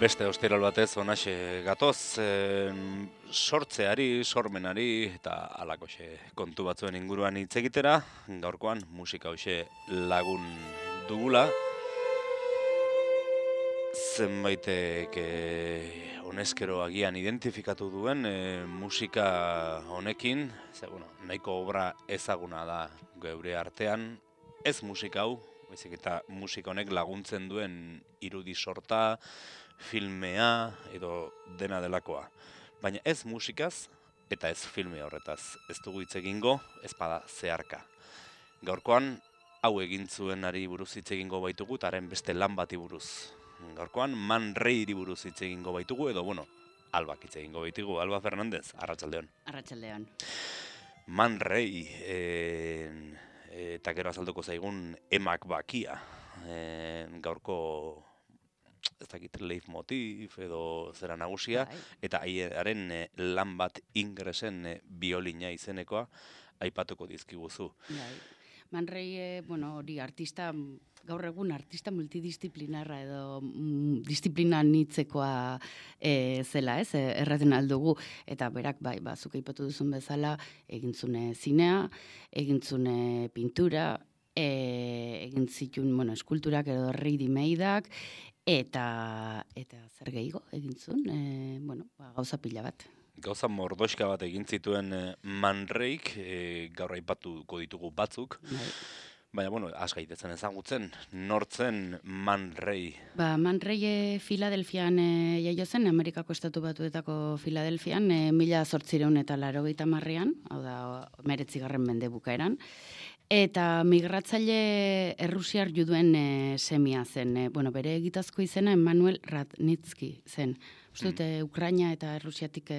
Beste ostiral batez onaxe gatoz, sortzeari, sormenari eta alakoxe kontu batzuen inguruan hitz egitera, gaurkoan musika hoxe lagun dugula. Zenbaitek honezkero agian identifikatu duen musika honekin, nahiko obra ezaguna da geure artean, ez musika hau, baizik eta musika honek laguntzen duen irudi sorta, filmea edo dena delakoa. Baina ez musikaz eta ez filme horretaz. Ez dugu hitz egingo, ez bada zeharka. Gaurkoan, hau egin zuenari buruz hitz egingo baitugu, eta haren beste lan bati buruz. Gaurkoan, Man Rayri buruz hitz egingo baitugu, edo Albak hitz egingo baitugu. Alba Fernandez, arratsaldeon. Arratsaldeon. Man Ray, eta gero azalduko zaigun emak bakia. Gaurko ez dakit leitmotiv edo zera nagusia, eta haren lan bat Ingresen biolina izenekoa aipatuko dizkiguzu. Man Ray, hori artista, gaur egun artista multidisciplinarra edo disiplina anitzekoa zela, ez? Erraten aldugu, eta berak zuk aipatu duzun bezala, egintzune zinea, egintzune pintura, egin zituen, eskulturak edo ready-madeak, eta zer gehiago egintzun, gauza pila bat. Gauza mordoxka bat egin zituen Man Rayk, gaur aipatuko ditugu batzuk. Baina, askaitezen ezagutzen, nortzen Man Ray? Man Ray Filadelfian jaio zen, Amerikako estatu batuetako Filadelfian, 1880ean, hau da, 19. mende bukaeran. Eta migratzaile errusiar juduen semia zen. Bere egitazko izena Emanuel Radnitsky zen. Uste dute Ukraina eta Errusiatik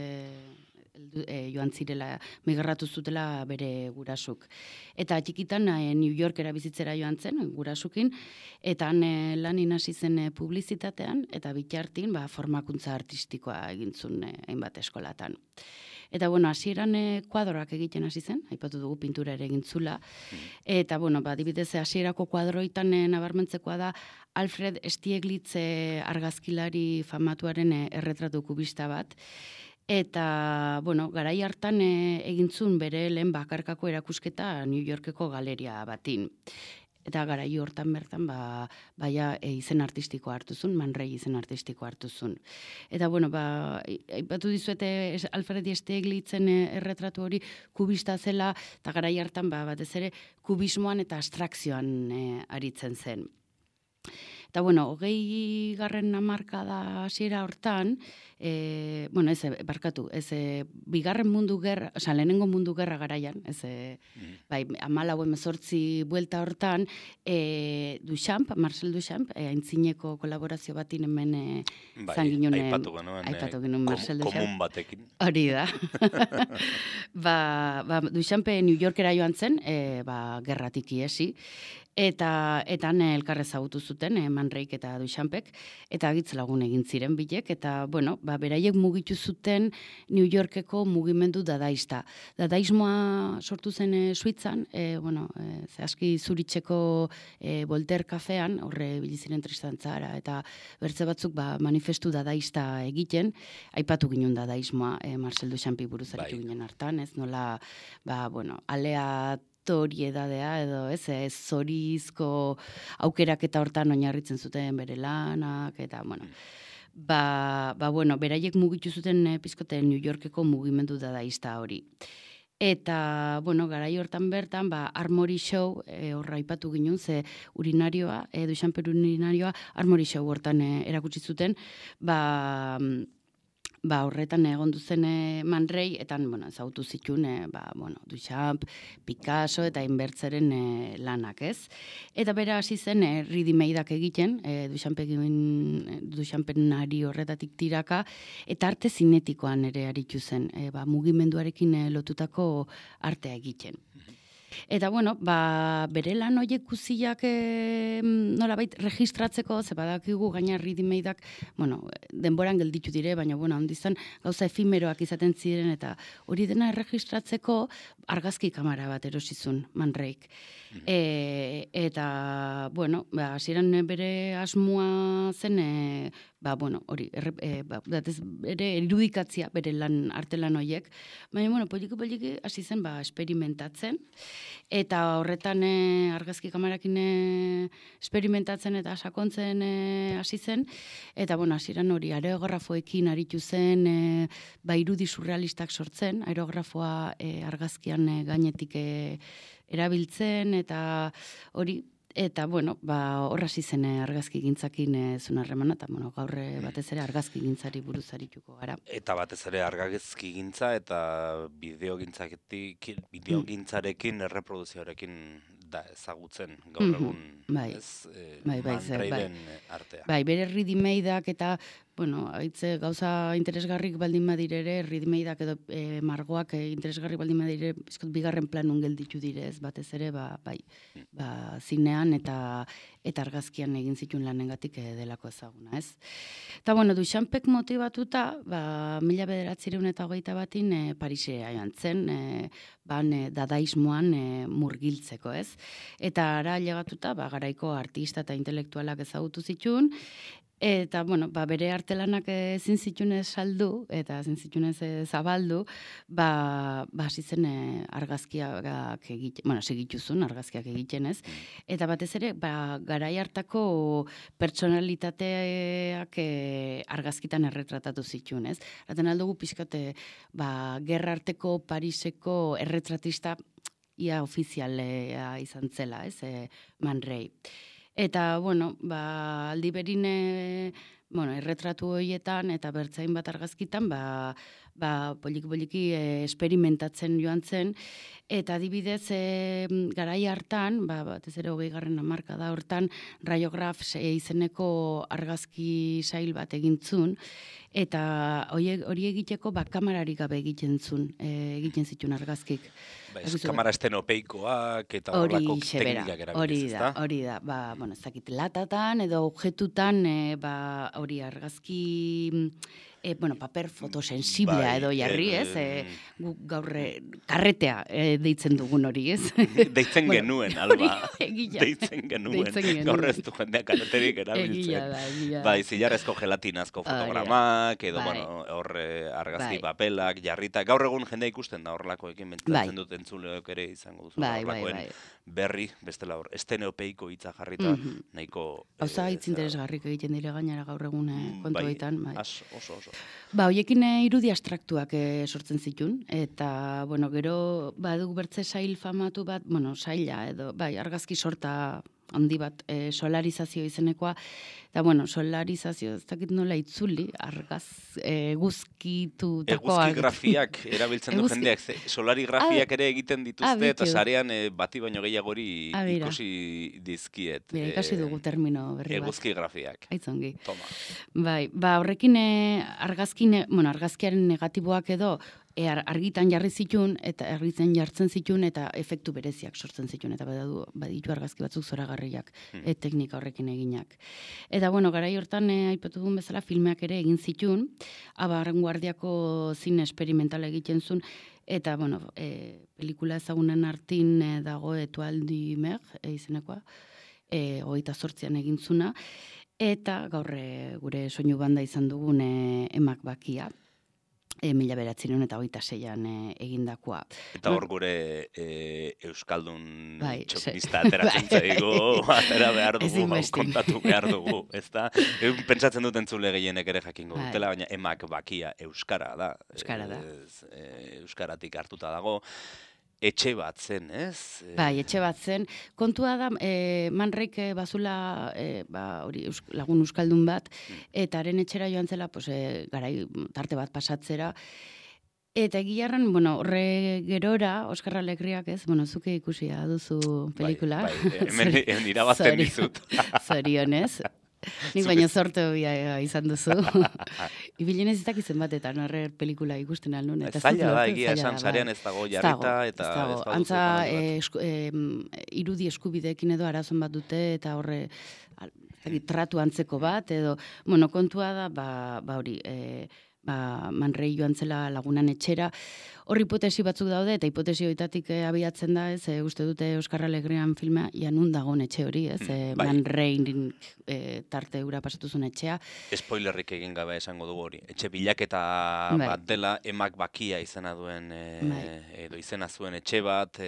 joan zirela, migratu zutela bere gurasuk. Eta txikitan New Yorkera bizitzera joan zen, gurasukin, eta lan hasi zen publizitatean, eta bitartin formakuntza artistikoa egintzun hainbat eskolatan. Eta, hasieran kuadroak egiten hasi zen, aipatu dugu pintura ere egintzula. Eta, adibidez, hasierako kuadroitan nabarmentzekoa da Alfred Stieglitz argazkilari famatuaren erretratu kubista bat. Eta, garai hartan egintzun bere lehen bakarkako erakusketa New Yorkeko galeria batin. Eta garai hortan bertan, izen artistikoa hartuzun, Man Ray izen artistikoa hartuzun. Eta, aipatu dizuete Alfred Stieglitzen erretratu hori kubista zela, eta garai hartan, batez ere, kubismoan eta abstrakzioan aritzen zen. Eta, 20. hamarkada hasiera hortan, bigarren mundu gerra, lehenengo mundu gerra garaian, 14 buelta hortan, Marcel Duchamp, aintzineko kolaborazio batin hemen zan ginen. Aipatu genuen Marcel Duchamp. Komun batekin. Hori da. Duchamp New Yorkera joan zen, gerratik iesi, eta elkar ezagutu zuten, Man Rayk eta Duchampek, eta agitz lagun egin ziren bilek, eta, beraiek mugitu zuten New Yorkeko mugimendu dadaista. Dadaismoa sortu zen Suitzan, aski Zuritzeko Voltaire kafean, horre biliziren Tristan Tzara, eta bertze batzuk manifestu dadaista egiten, aipatu ginen dadaismoa Marcel Duchampi buruz aritu ginen hartan, ez nola, aleatoriedadea edo zorizko aukerak eta hortan oinarritzen zuten bere lanak, eta, beraiek mugitu zuten pizkote New Yorkeko mugimendu dadaista hori. Eta, garai hortan bertan, Armory Show, horra aipatu ginen, ze urinarioa, Duchamper urinarioa, Armory Show hortan erakutsi zuten, horretan egon duzen Man Ray, eta ezagutu zituen Duchamp, Picasso eta inbertzeren lanak, ez? Eta bera hasi zen ready-madeak egiten, Duchampen ari horretatik tiraka, eta arte zinetikoan ere aritu zen, mugimenduarekin lotutako artea egiten. Eta, bere lan horiek guziak nolabait registratzeko, ze badakigu gaina ready-madeak, denboran gelditu dire, baina, handizan gauza efimeroak izaten ziren, eta hori dena erregistratzeko argazki kamera bat erosizun, Man Rayk. Eta, hasieran bere asmoa zen, bueno, hori, ere irudikatzia, bere artelan horiek, baina, bueno, poliki hasi zen, esperimentatzen, eta horretan argazki kamerakin esperimentatzen eta sakontzen hasi zen, eta, bueno, hasieran hori, aerografoekin aritu zen, irudi surrealistak sortzen, aerografoa argazkian gainetik erabiltzen, eta hori, eta, bueno, hor hasi zen argazki gintzakin zuen harremana, eta, bueno, gaur batez ere argazki gintzari buruz arituko gara. Eta batez ere argazki gintza eta bideogintzarekin, erreproduzioarekin da ezagutzen gaur egun, ez? Manrairen artea. Bere ready-madeak eta, bueno, haitze gauza interesgarrik baldin badire ere, ready-madeak edo margoak interesgarrik baldin badire, bizkot bigarren planun gelditu dire, ez batez ere, zinean eta argazkian egin zituen lanengatik delako ezaguna, ez? Eta, bueno, Duchampek motibatuta, 1921 Parisera joan zen, dadaismoan murgiltzeko, ez? Eta ara llegatuta, garaiko artista eta intelektualak ezagutu zituen, eta, bueno, bere artelanak ezin zituen saldu, eta ezin zituen zabaldu, hasi zen argazkiak egiten, bueno, segituzun argazkiak egiten, ez? Eta batez ere, garai hartako pertsonalitateak argazkitan erretratatu zituen, ez? Raten aldugu pixkate, gerra arteko Pariseko erretratista ia ofizialea izan zela, ez? Man Ray. Eta, bueno, aldi berin, erretratu horietan eta bertzain bat argazkitan, poliki esperimentatzen joan zen, eta adibidez, garai hartan, batez ere 20. hamarkada hortan, radiograf izeneko argazki sail bat egintzun, eta hori egiteko kamerarik gabe egiten zituen argazkik. Kamera estenopeikoak eta horrelako teknikak erabiltzen, ezta? Hori da, ez dakit, latatan edo objetutan, hori argazki, paper fotosensiblea edo jarri, ez? Gaur karretea deitzen dugun hori, ez? Deitzen genuen, Alba. Deitzen genuen. Gaur ez du jendeak karreterik erabiltzen. Zilarrezko gelatinazko fotogramak, edo, horre argazki papelak, jarrita. Gaur egun jendea ikusten da horrelakoekin, mentzatzen dut entzuleok ere izango duzu. Horrelakoen berri, bestela hor, esteneopeiko hitza jarrita, nahiko... Hauza hitz interesgarrik egiten dire gainera gaur egun kontuetan. Oso. Horiekin irudi abstraktuak sortzen zituen, eta, gero, badugu bertze sail famatu bat, saila edo, argazki sorta handi bat, solarizazio izenekoa, eta, solarizazio, ez dakit nola itzuli, eguzkitutako... Eguzkigrafiak erabiltzen du jendeak, solarigrafiak ere egiten dituzte, eta sarean bati baino gehiagori ikusi dizkiet. Ikasi dugu termino berri bat. Eguzkigrafiak. Aitzongi. Toma. Horrekin argazkiaren negatiboak edo, argitan jarri zituen, eta argitzen jartzen zituen, eta efektu bereziak sortzen zituen, eta baditu argazki batzuk zoragarriak teknika horrekin eginak. Eta, garai hortan, aipatu duen bezala, filmeak ere egin zituen, Abanguardiako zine esperimentala egiten zuen, eta, pelikula ezagunen artin dago Etualdi Mer, izenekoa, 28an egin zuna, eta gaur gure soinu banda izan dugun Emak Bakia, 1926an egindakoa. Eta hor gure euskaldun txokinista ateratzen zaigu, atera behar dugu, kontatu behar dugu, ezta? Pentsatzen dut entzule gehienek ere jakingo dutela, baina Emak Bakia euskara da. Euskaratik hartuta dago. Etxe bat zen, ez? Etxe bat zen. Kontua da, Man Rayk bazula lagun euskaldun bat, eta haren etxera joan zela, garai tarte bat pasatzera, eta egiarran, horre gerora, Oskar Alegriak, ez? Zuke ikusia duzu pelikula. Hemen irabazten dizut. Zorionez. Nik baina sorte izan duzu. Ibilen ez izakizen batetan, horre pelikula ikusten alnun. Zaila da, egia esan sarean ez dago jarrita, eta ez dago. Antza, irudi eskubideekin edo arazon bat dute, eta horre tratu antzeko bat, edo, kontua da, hori, Man Ray joan zela lagunan etxera. Hor hipotesi batzuk daude, eta hipotesi horietatik abiatzen da, ez, uste dute Euskal Alegrian filma, nun dagoen etxe hori, ez, Man Ray tarte ura pasatu zuen etxea. Spoilerrik egin gabe esango dugu hori. Etxe bilaketa bat dela, emak bakia izena duen, edo izena zuen etxe bat,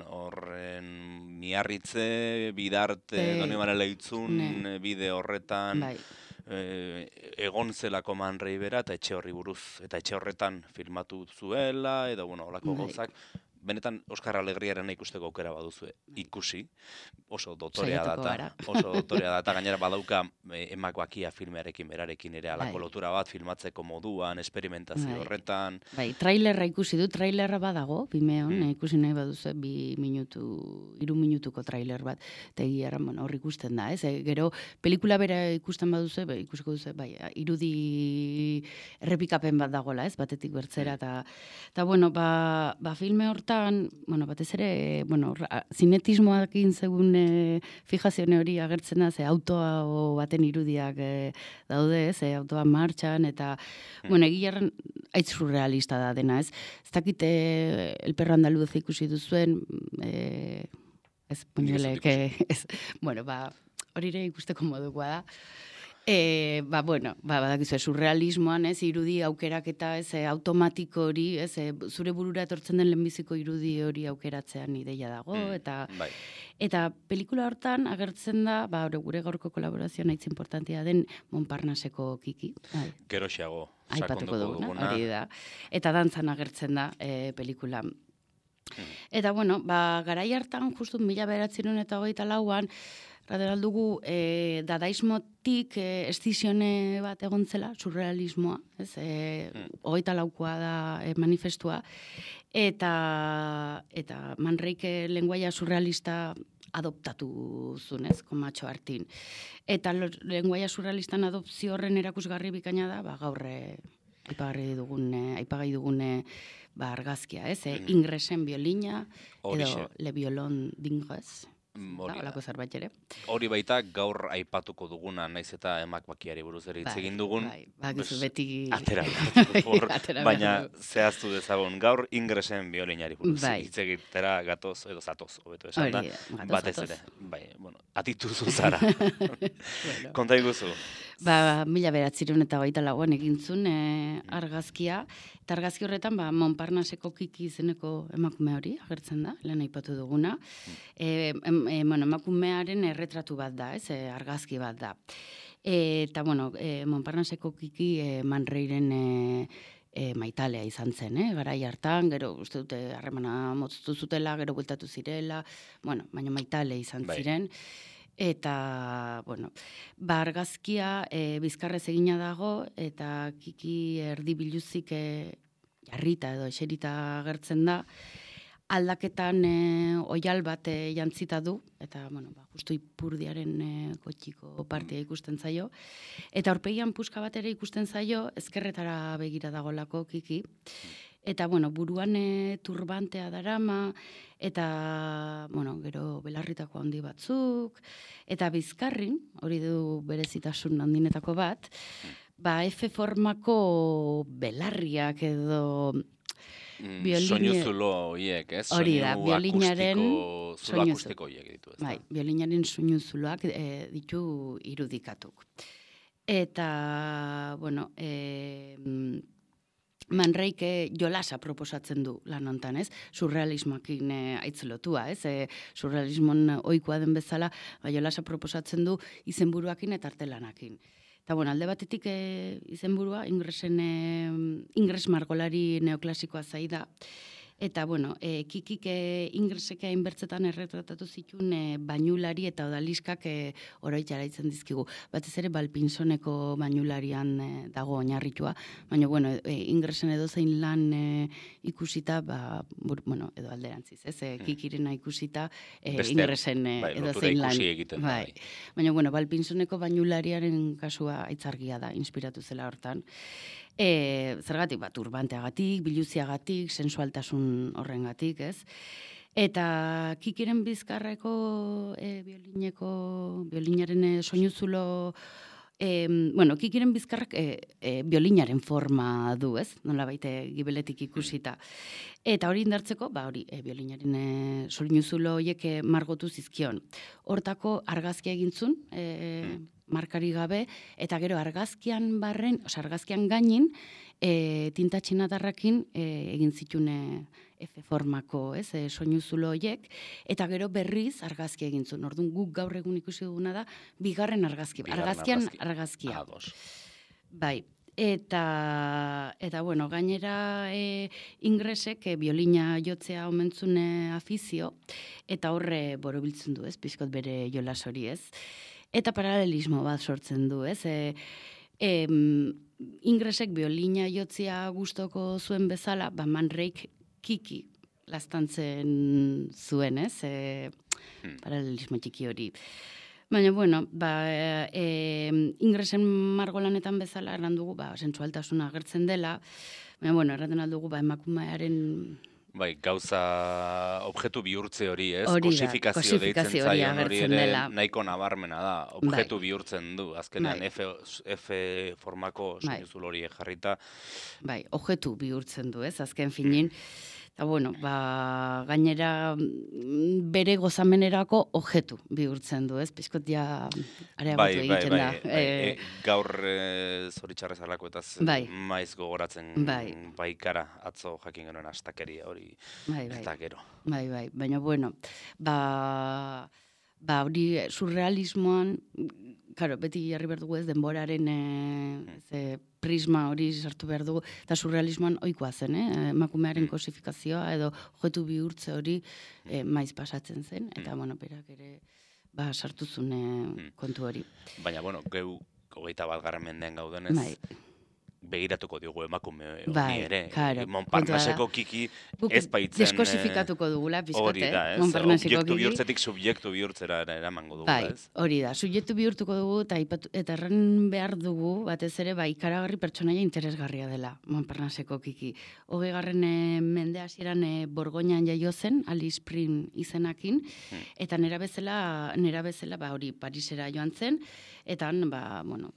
horren Miarritze, Bidarte, Donibane Leitzun, bide horretan, egon zelako Man Ray bera, eta etxe horri buruz, eta etxe horretan filmatu zuela, edo, holako gauzak. Benetan, Oskar Alegriaren ikusteko aukera baduzue ikusi, oso dotorea data, gainera badauka emak bakia filmearekin berarekin ere alako lotura bat filmatzeko moduan, esperimentazio horretan. Trailerra ikusi du, trailerra badago, Vimeon, ikusi nahi baduzue, 3 minutuko trailer bat, eta egia hor ikusten da, ez? Gero, pelikula bera ikusten baduzue, ikusiko duzu, irudi errepikapen bat dagoela, ez? Batetik bertzera, eta filme hortan, batez ere, zinetismoak zegoen fijazione hori agertzen da, ze autoa baten irudiak daude, ez, autoa martxan, eta, egilarren aitz surrealista da dena, ez. Ez dakite El perro andaluz ikusi duzuen, ez, puñelek, ez, hori ere ikusteko modukoa da. Badakizu, surrealismoan, ez, irudi aukerak eta ez, automatiko hori, ez, zure burura etortzen den lehenbiziko irudi hori aukeratzean ideia dago, eta pelikula hortan agertzen da, gure gaurko kolaborazioan aitz importantia den Montparnasseko Kiki. Geroxeago, sakonduko duguna, hori da. Eta dantzan agertzen da pelikula. Eta, garai hartan, justu 1924an, dugu, dadaismotik estizione bat egon zela, surrealismoa, ez, 24koa da manifestua, eta Man Rayk lenguaia surrealista adoptatu zuen, ez, komatxo hartin. Eta lenguaia surrealistan adopzio horren erakusgarri bikaina da, gaur aipagai dugun argazkia, ez, Ingresen violina, edo Le Violon d'Ingres. Hori baita gaur aipatuko duguna, naiz eta emak bakiari buruz ere hitz egin dugun, atera, baina zehaztu dezagun, gaur Ingresen violinari buruz hitz egitera gatoz, edo zatoz, hobeto esan da, batez ere, atituzu zara. Konta iguzu? 1924an egintzun argazkia, eta argazki horretan Montparnasseko Kiki izeneko emakume hori agertzen da, lehen aipatu duguna. Emakumearen erretratu bat da, ez, argazki bat da. Eta, Montparnasseko Kiki Man Rayren maitalea izan zen, garai hartan, gero uste dute harremana moztu zutela, gero bueltatu zirela, baina maitale izan ziren. Eta, argazkia bizkarrez egina dago, eta Kiki erdi biluzik jarrita edo eserita agertzen da, aldaketan oial bat jantzita du, eta, justu Ipurdiaren kotxiko partia ikusten zaio, eta aurpegian puska bat ere ikusten zaio, ezkerretara begira dagolako Kiki, eta, buruan turbantea darama, eta, gero belarritako handi batzuk, eta bizkarrin, hori du berezitasun handinetako bat, F formako belarriak edo soinu zulo horiek, ez? Hori da, violinaren zulo akustiko horiek ditu, ez? Violinaren soinu zuloak ditu irudikatuk. Eta, Man Rayk jolasa proposatzen du lan hontan, ez? Surrealismoakin aitzelotua, ez? Surrealismon ohikoa den bezala, jolasa proposatzen du izenburuakin eta artelanakin. Eta, alde batetik izenburua, Ingres margolari neoklasikoa zaida. Eta, Kikik Ingresek hainbertzetan erretratatu zituen bainulari eta odaliskak oroit jaraitzen dizkigu. Batez ere Balpinsoneko bainularian dago oinarritua, baina, Ingresen edozein lan ikusita, edo alderantziz, ez? Kikirena ikusita Ingresen edozein lan. Baina, Balpinsoneko bainulariaren kasua aitzargia da, inspiratu zela hortan. Zergatik, turbanteagatik, biluziagatik, sensualtasun horrengatik, ez? Eta Kikiren bizkarreko violinaren soinuzulo Bueno, kikiren bizkarrak biolinaren forma du, ez? Nola baite gibeletik ikusita. Eta hori indartzeko, hori, biolinaren soinuzulo horiek margotu zizkion. Hortako argazkia egintzun, markari gabe, eta gero argazkian argazkian gainin, tinta txinatarrakin egin zitune F formako, ez, soinuzulo horiek, eta gero berriz argazkia egin zuen. Orduan guk gaur egun ikusi duguna da, bigarren argazkia. Argazkian argazkia. Bai. Eta bueno, gainera ingresek biolina jotzea omentzune afizio, eta horre borobiltzen du, ez, pixkot bere jolas hori, ez. Eta paralelismo bat sortzen du, ez. Ingresek biolina jotzea gustoko zuen bezala, Man Rayk kiki laztantzen zuen, ez? Paralelismo txiki hori. Baina, bueno, ingresen margolanetan bezala erran dugu, sensualtasuna agertzen dela, baina, bueno, erraten aldugu, emakumearen... Bai, gauza objektu bihurtze hori, ez? Kosifikazio deitzen zaion hori ere nahiko nabarmena da. Objektu bihurtzen du, azkenean F formako soinuzul hori jarrita. Bai, objektu bihurtzen du, ez? Azken finin. Eta, bueno, gainera bere gozamenerako objektu bihurtzen du, ez? Pizkot ja areagotu egiten da. Gaur zoritxarrez alako eta maiz gogoratzen baikara atzo jakin genuen astakeria hori eta gero. Bai, baina, bueno, hori surrealismoan, claro, beti jarri behar dugu ez denboraren prisma hori sartu behar dugu, eta surrealismoan ohikoa zen, emakumearen kosifikazioa edo objektu bihurtze hori maiz pasatzen zen, eta, bueno, berak ere sartu zuen kontu hori. Baina, bueno, geu 21. mendean gaudenez, begiratuko diogu emakume hori ere. Montparnaseko kiki ez baitzen... Deskosifikatuko dugula, pizkote. Hori da, ez? Objektu bihurtzetik subjektu bihurtzera eramango dugu, ez? Hori da, subjektu bihurtuko dugu, eta erran behar dugu, batez ere, ikaragarri pertsonaia interesgarria dela, Montparnaseko kiki. 20. mende hasieran Borgoinan jaio zen, Alice Prim izenakin, eta nera bezala, hori, Parisera joan zen, eta bueno,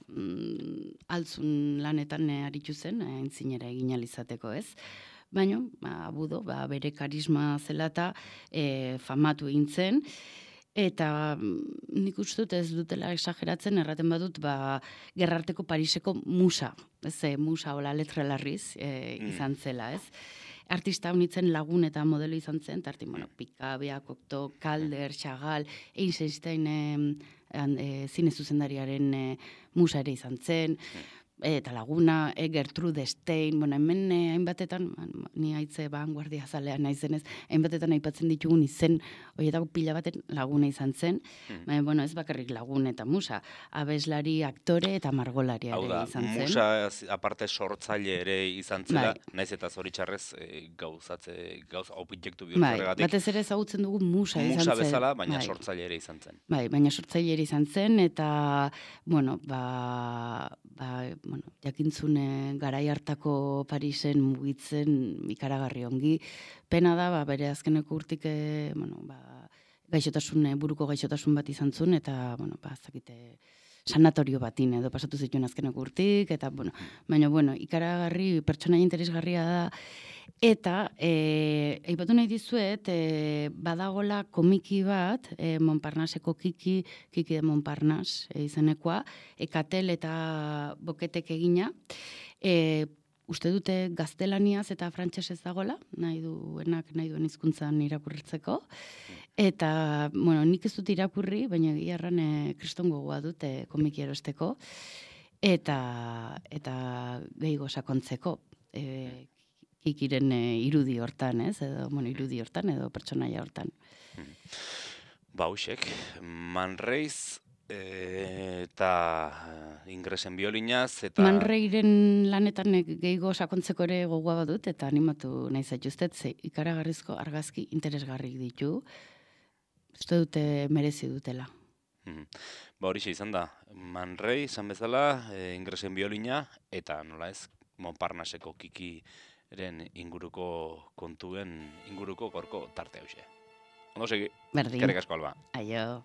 altzun lanetan aritu zen, entzinera egin alizateko, ez? Baina, budo, bere karisma zela eta famatu egin zen, eta nik uste dut ez dutela exageratzen, erraten badut, gerrarteko Pariseko musa, ez, musa hola letralarriz izan zela, ez? Artista honitzen lagun eta modelo izan zen, tartin, bueno, Picabia, Cocteau, Calder, Chagall, Eisenstein zine zuzendariaren musa ere izan zen, eta laguna, Gertrude Stein, bueno, hemen hainbatetan, ni haitze vanguardia zalea naizenez, hainbatetan aipatzen ditugun izen, horietako pila baten laguna izan zen, baina, bueno, ez bakarrik lagun eta musa, abeslari, aktore eta margolari ere izan zen. Musa, aparte sortzaile ere izan zela, naiz eta zoritxarrez gauza objektu bihurtzeregatik. Batez ere ezagutzen dugu musa izan zen. Musa bezala, baina sortzaile ere izan zen. Baina sortzaile ere izan zen, eta, bueno, jakintzune garai hartako Parisen mugitzen ikaragarri ongi. Pena da, bere azkeneko urtik, buruko gaixotasun bat izan zuen, eta, bueno, zakite, sanatorio batin edo pasatu zituen azkeneko urtik, eta, bueno, baina, bueno, ikaragarri, pertsonaia interesgarria da, eta, aipatu nahi dizuet, badagola komiki bat, Montparnaseko Kiki de Montparnasse izenekoa, Katel eta Boketek egina, uste dute gaztelaniaz eta frantsesez dagola, nahi duen hizkuntzan irakurritzeko, eta, bueno, nik ez dut irakurri, baina egiarran kriston gogoa dute komiki erosteko, eta gehiago sakontzeko, Kikiren irudi hortan, ez? Edo, bueno, irudi hortan, edo pertsonaia hortan. Hausek, Man Rayz eta ingresen biolinaz, eta... Man Rayren lanetan gehiago sakontzeko ere gogoa badut, eta animatu nahi zaituztet, ikaragarrizko argazki interesgarrik ditu, uste dute merezi dutela. Horixe izan da, Man Ray izan bezala, ingresen biolina, eta nola ez, Montparnaseko Kiki inguruko kontuen inguruko gorko tarte hause. Ondo segi, Berdin. Eskerrik asko, Alba. Aio.